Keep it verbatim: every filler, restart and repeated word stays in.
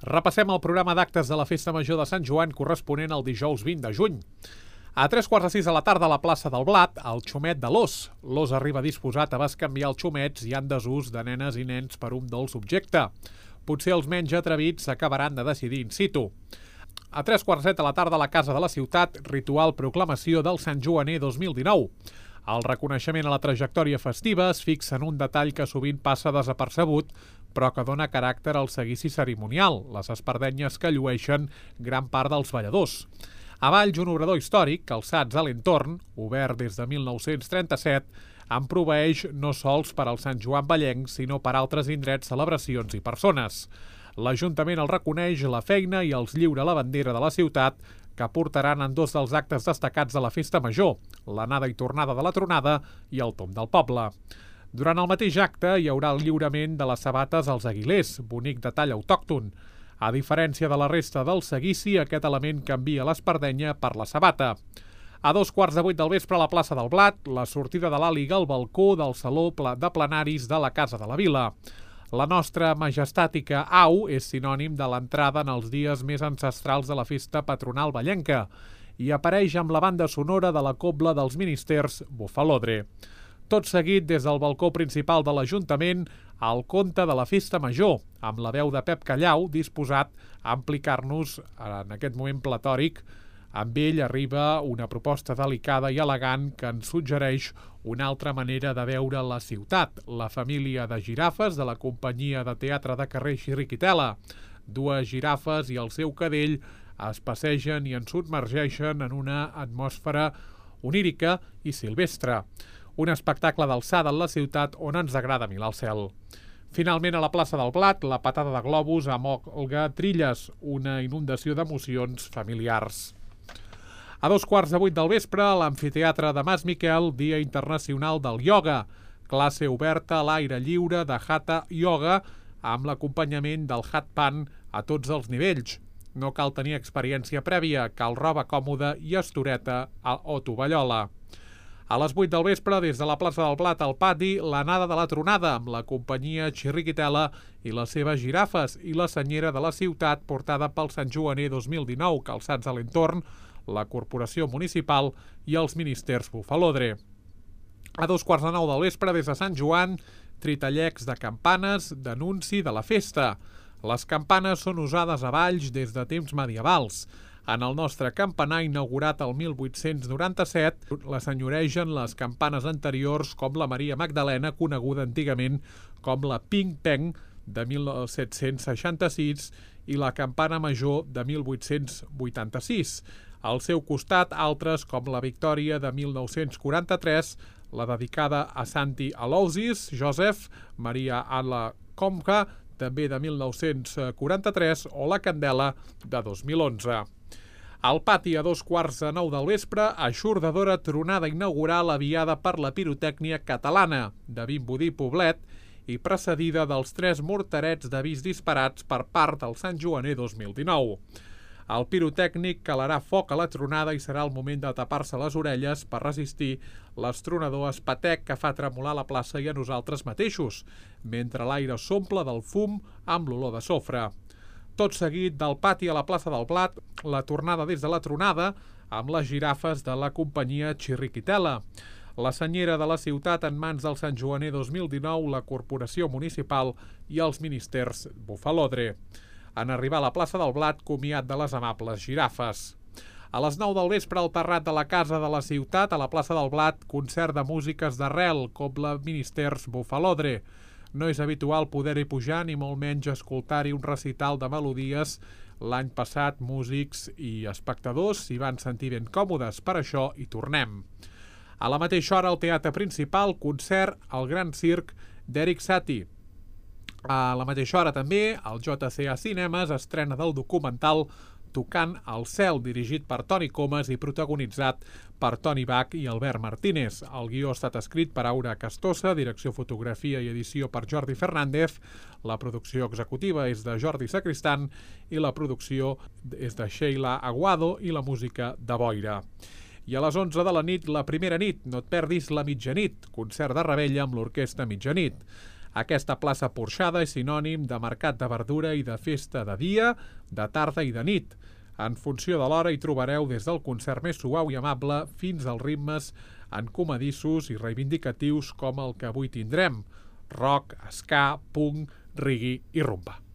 Repassem el programa d'actes de la Festa Major de Sant Joan corresponent al dijous vint de juny. A tres quarts de sis de la tarda a la plaça del Blat, el xumet de l'ós. L'ós arriba disposat a bescanviar els xumets i en desús de nenes i nens per un dolç objecte. Potser els menys atrevits s'acabaran de decidir in situ. A tres quarts de set de la tarda a la Casa de la Ciutat, ritual proclamació del Sant Joaner dos mil dinou. El reconeixement a la trajectòria festiva es fixa en un detall que sovint passa desapercebut, però que dona caràcter al seguici cerimonial, les espardenyes que llueixen gran part dels balladors. A Valls, un obrador històric, calçats a l'entorn, obert des de mil nou-cents trenta-set, en proveeix no sols per al Sant Joan vallenc, sinó per altres indrets, celebracions i persones. L'Ajuntament el reconeix la feina i els lliura la bandera de la ciutat, que portaran en dos dels actes destacats de la Festa Major, l'anada i tornada de la tronada i el tomb del poble. Durant el mateix acte hi haurà el lliurament de les sabates als aguilers, bonic detall autòcton. A diferència de la resta del seguici, aquest element canvia l'espardenya per la sabata. A dos quarts de vuit del vespre a la plaça del Blat, la sortida de l'àliga al balcó del Saló de Plenaris de la Casa de la Vila. La nostra majestàtica au és sinònim de l'entrada en els dies més ancestrals de la festa patronal vallenca i apareix amb la banda sonora de la cobla dels ministers Bufalodre. Tot seguit, des del balcó principal de l'Ajuntament, el conte de la Festa Major, amb la veu de Pep Callau, disposat a implicar-nos en aquest moment platòric. Amb ell arriba una proposta delicada i elegant que ens suggereix una altra manera de veure la ciutat, la família de girafes de la companyia de teatre de carrer Chiriquitela. Dues girafes i el seu cadell es passegen i ens submergeixen en una atmosfera onírica i silvestre. Un espectacle d'alçada en la ciutat on ens agrada mirar el cel. Finalment, a la plaça del Blat, la patada de globus amb Olga Trilles, una inundació d'emocions familiars. A dos quarts de vuit del vespre, a l'amfiteatre de Mas Miquel, Dia Internacional del Ioga, classe oberta a l'aire lliure de Hatha Yoga amb l'acompanyament del Hat Pan a tots els nivells. No cal tenir experiència prèvia, cal roba còmoda i estoreta o tovallola. A les vuit del vespre, des de la plaça del Blat al pati, l'anada de la tronada amb la companyia Chiriquitela i les seves girafes i la senyera de la ciutat portada pel Sant Joaner dos mil dinou, calçats a l'entorn, la Corporació Municipal i els ministers Bufalodre. A dos quarts de nou del vespre, des de Sant Joan, tritallecs de campanes d'anunci de la festa. Les campanes són usades a Valls des de temps medievals. En el nostre campanar, inaugurat el mil vuit-cents noranta-set, les enyoregen les campanes anteriors com la Maria Magdalena, coneguda antigament com la Ping Peng de mil set-cents seixanta-sis i la campana major de mil vuit-cents vuitanta-sis. Al seu costat, altres com la Victòria de mil nou-cents quaranta-tres, la dedicada a Santi Aloysius Joseph, Maria Anna Comca, també de mil nou-cents quaranta-tres, o la Candela de dos mil onze. Al pati, a dos quarts de nou del vespre, eixordadora tronada inaugural aviada per la pirotècnia catalana de Vimbodí Poblet i precedida dels tres morterets d'avís disparats per part del Sant Joaner dos mil dinou. El pirotècnic calarà foc a la tronada i serà el moment de tapar-se les orelles per resistir l'estronador espatec que fa tremolar la plaça i a nosaltres mateixos, mentre l'aire s'omple del fum amb l'olor de sofre. Tot seguit, del pati a la plaça del Blat, la tornada des de la tronada amb les girafes de la companyia Chiriquitela. La senyera de la ciutat en mans del Sant Joaner dos mil dinou, la Corporació Municipal i els ministers Bufalodre. En arribar a la plaça del Blat, comiat de les amables girafes. A les nou del vespre, al terrat de la Casa de la Ciutat, a la plaça del Blat, concert de músiques d'arrel, com la ministers Bufalodre. No és habitual poder-hi pujar ni molt menys escoltar-hi un recital de melodies. L'any passat, músics i espectadors s'hi van sentir ben còmodes, per això hi tornem. A la mateixa hora, al teatre principal, concert al Gran Circ d'Eric Satie. A la mateixa hora també, al J C A Cinemes estrena del documental Tocant al cel, dirigit per Toni Comas i protagonitzat per Toni Bach i Albert Martínez. El guió ha estat escrit per Aura Castosa, direcció, fotografia i edició per Jordi Fernández, la producció executiva és de Jordi Sacristan i la producció és de Sheila Aguado i la música de Boira. I a les onze de la nit, la primera nit, no et perdis la mitjanit, concert de revetlla amb l'orquestra Mitjanit. Aquesta plaça porxada és sinònim de mercat de verdura i de festa de dia, de tarda i de nit. En funció de l'hora hi trobareu des del concert més suau i amable fins als ritmes encomadissos i reivindicatius com el que avui tindrem: rock, ska, punk, reggae i rumba.